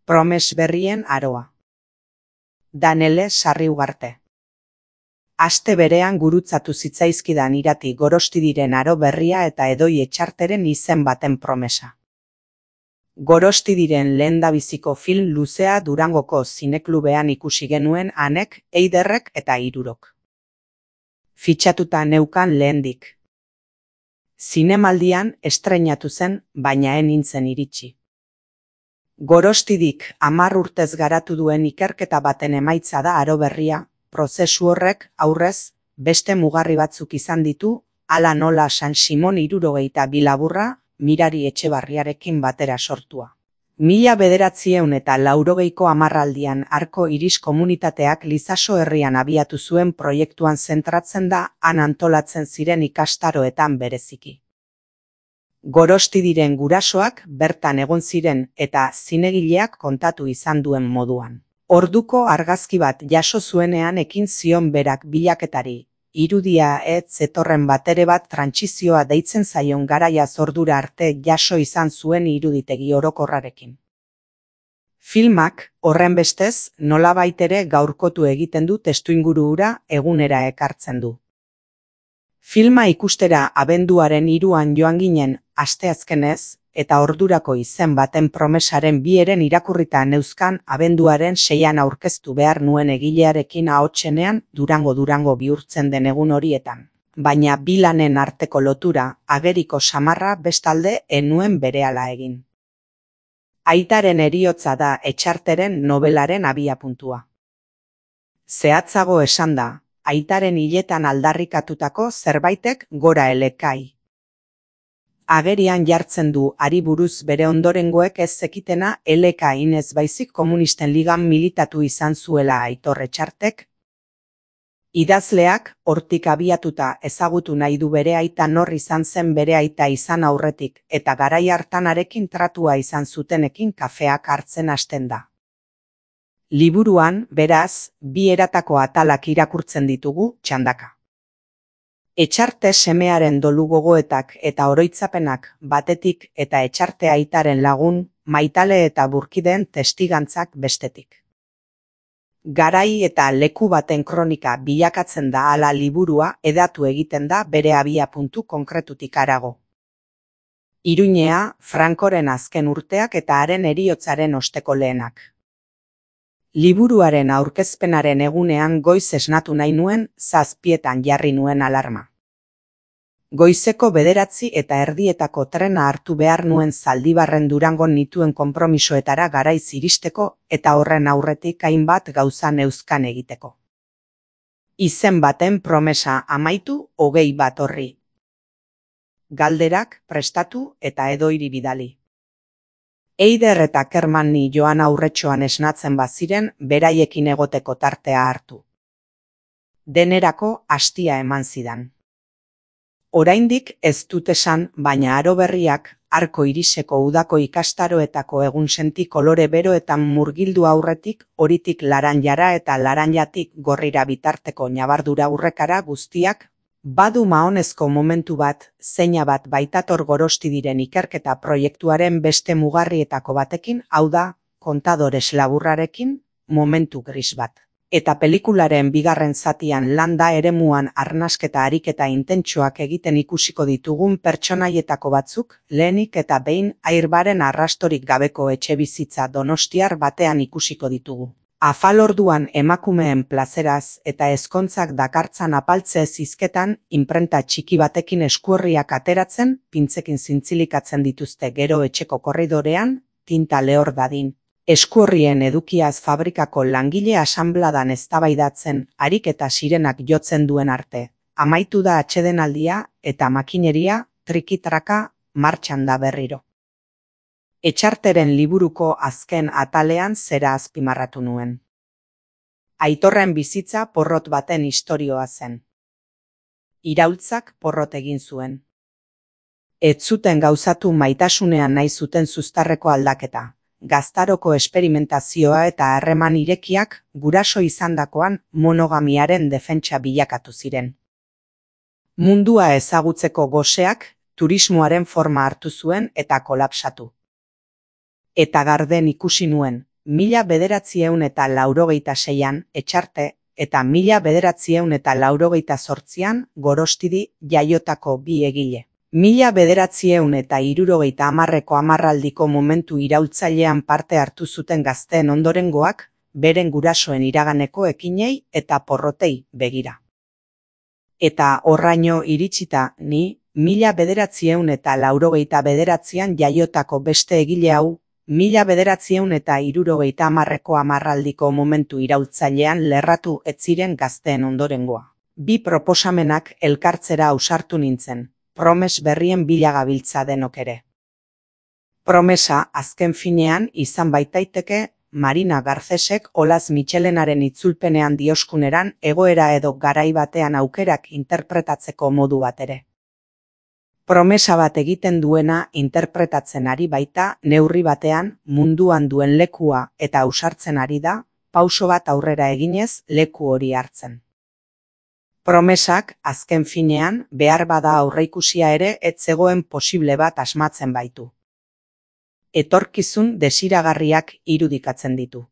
Promes berrien aroa. Danele Sarriugarte. Aste berean gurutzatu zitzaizkidan irati Gorostidiren aro berria eta Edoi Etxarteren izen baten promesa. Gorostidiren lehendabiziko film luzea Durangoko zineklubean ikusi genuen Anek, Eiderrek eta Hirurok. Fitxatuta neukan lehendik. Zinemaldian estreinatu zen, baina ez nintzen iritsi. Gorostidik 10 urtez garatu duen ikerketa baten emaitza da aro berria, prozesu horrek aurrez beste mugarri batzuk izan ditu, hala nola San Simon 72 laburra Mirari Etxebarriarekin batera sortua. 1980ko hamarraldian Arko Iris komunitateak Lizaso herrian abiatu zuen proiektuan zentratzen da han antolatzen ziren ikastaroetan bereziki. Gorostidiren gurasoak bertan egon ziren eta zinegileak kontatu izan duen moduan. Orduko argazki bat jaso zuenean ekin zion berak bilaketari, irudia ez zetorren batere bat trantsizioa deitzen zaion garaia ordura arte jaso izan zuen iruditegi orokorrarekin. Filmak, horrenbestez, nolabait ere gaurkotu egiten du testuinguru hura egunera ekartzen du. Filma ikustera abenduaren 3an joan ginen asteazkenez, eta ordurako izen baten promesaren 2 irakurrita neuzkan abenduaren 6an aurkeztu behar nuen egilearekin ahotsenean Durango bihurtzen den egun horietan. Baina bi lanen arteko lotura ageriko samarra bestalde ez nuen berehala egin. Aitaren heriotza da Etxarteren nobelaren abiapuntua. Zehatzago esanda, aitaren hiletan aldarrikatutako zerbaitek gora elekai. Agerian jartzen du hari buruz bere ondorengoek ez zekitena elekain ez baizik komunisten ligan militatu izan zuela Aitor Etxartek. Idazleak hortik abiatuta ezagutu nahi du bere aita nor izan zen bere aita izan aurretik eta garai hartan harekin tratua izan zutenekin kafeak hartzen hasten da. Liburuan, beraz, 2 eratako atalak irakurtzen ditugu txandaka. Etxarte semearen dolu gogoetak eta oroitzapenak batetik eta Etxarte aitaren lagun, maitale eta burkideen testigantzak bestetik. Garai eta leku baten kronika bilakatzen da hala liburua hedatu egiten da bere abiapuntu konkretutik harago. Iruñea, Frankoren azken urteak eta haren heriotzaren osteko lehenak. Liburuaren aurkezpenaren egunean goiz esnatu nahi nuen 7etan jarri nuen alarma. Goizeko 9:30 trena hartu behar nuen Zaldibarren Durangon nituen konpromisoetara garaiz iristeko eta horren aurretik hainbat gauza neuzkan egiteko. Izen baten promesa amaitu 21 horri. Galderak prestatu eta Edoiri bidali. Eider eta Kermanni joan aurretxoan esnatzen baziren beraiekin egoteko tartea hartu. Denerako hastia eman zidan. Oraindik ez dut esan, baina aro berriak Arko Iriseko udako ikastaroetako egunsenti kolore beroetan murgildu aurretik horitik laranjara eta laranjatik gorrira bitarteko ñabardura urrekara guztiak, badu mahonezko momentu bat, zeina bat baitator Gorostidiren ikerketa proiektuaren beste mugarrietako batekin, hau da, kontadores laburrarekin, momentu gris bat. Eta pelikularen bigarren zatian landa eremuan arnasketa ariketa intentsuak egiten ikusiko ditugun pertsonaietako batzuk, lehenik eta behin Airbaren arrastorik gabeko etxebizitza donostiar batean ikusiko ditugu. Afalorduan emakumeen plazeraz eta ezkontzak dakartzan apaltze zizketan inprenta txiki batekin eskuorriak ateratzen, pintzekin zintzilikatzen dituzte gero etxeko korridorean, tinta lehor dadin. Eskuorrien edukiaz fabrikako langile asanbladan eztabaidatzen harik eta sirenak jotzen duen arte. Amaitu da atsedenaldia eta makineria, trikitraka, martxan da berriro. Etxarteren liburuko azken atalean zera azpimarratu nuen. Aitorren bizitza porrot baten istorioa zen. Iraultzak porrot egin zuen. Ez zuten gauzatu maitasunean nahi zuten zuztarreko aldaketa. Gaztaroko esperimentazioa eta harreman irekiak guraso izandakoan monogamiaren defentsa bilakatu ziren. Mundua ezagutzeko goseak turismoaren forma hartu zuen eta kolapsatu. Eta garden ikusi nuen, 1986an Etxarte eta 1988an Gorostidi jaiotako bi egile. 1970ko hamarraldiko momentu iraultzailean parte hartu zuten gazteen ondorengoak, beren gurasoen iraganeko ekinei eta porrotei begira. Eta horraino iritsita ni, 1989an jaiotako beste egile hau, 1970ko hamarraldiko momentu iraultzailean lerratu ez ziren gazteen ondorengoa. Bi proposamenak elkartzera ausartu nintzen, promes berrien bila gabiltza denok ere. Promesa azken finean izan baitaiteke Marina Garcesek Olaz Mitxelenaren itzulpenean dioskuneran egoera edo garai batean aukerak interpretatzeko modu bat ere. Promesa bat egiten duena interpretatzen ari baita neurri batean munduan duen lekua eta ausartzen ari da, pauso bat aurrera eginez leku hori hartzen. Promesak azken finean behar bada aurreikusia ere ez zegoen posible bat asmatzen baitu. Etorkizun desiragarriak irudikatzen ditu.